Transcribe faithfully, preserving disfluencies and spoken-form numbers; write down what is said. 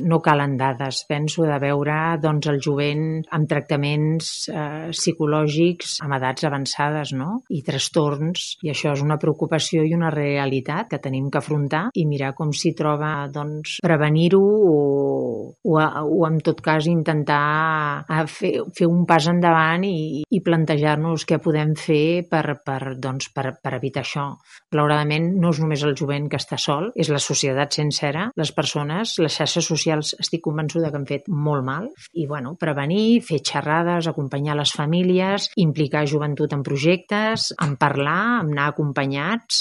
no calen dades, penso, de veure doncs, el jovent amb tractaments eh, psicològics amb edats avançades, no? I trastorns, i això és una preocupació i una realitat que tenim que afrontar i mirar com s'hi troba doncs, prevenir-ho o, o, o en tot cas intentar fer, fer un pas endavant i, i plantejar-nos què podem fer per, per, doncs, per, per evitar això. Malauradament no és només el jovent que està sol, és la societat sencera, les persones, les xarxes socials estic convençuda que han fet molt mal i bueno, prevenir, fer xerrades, acompanyar les famílies, implicar joventut en projectes, en parlar, en anar acompanyats.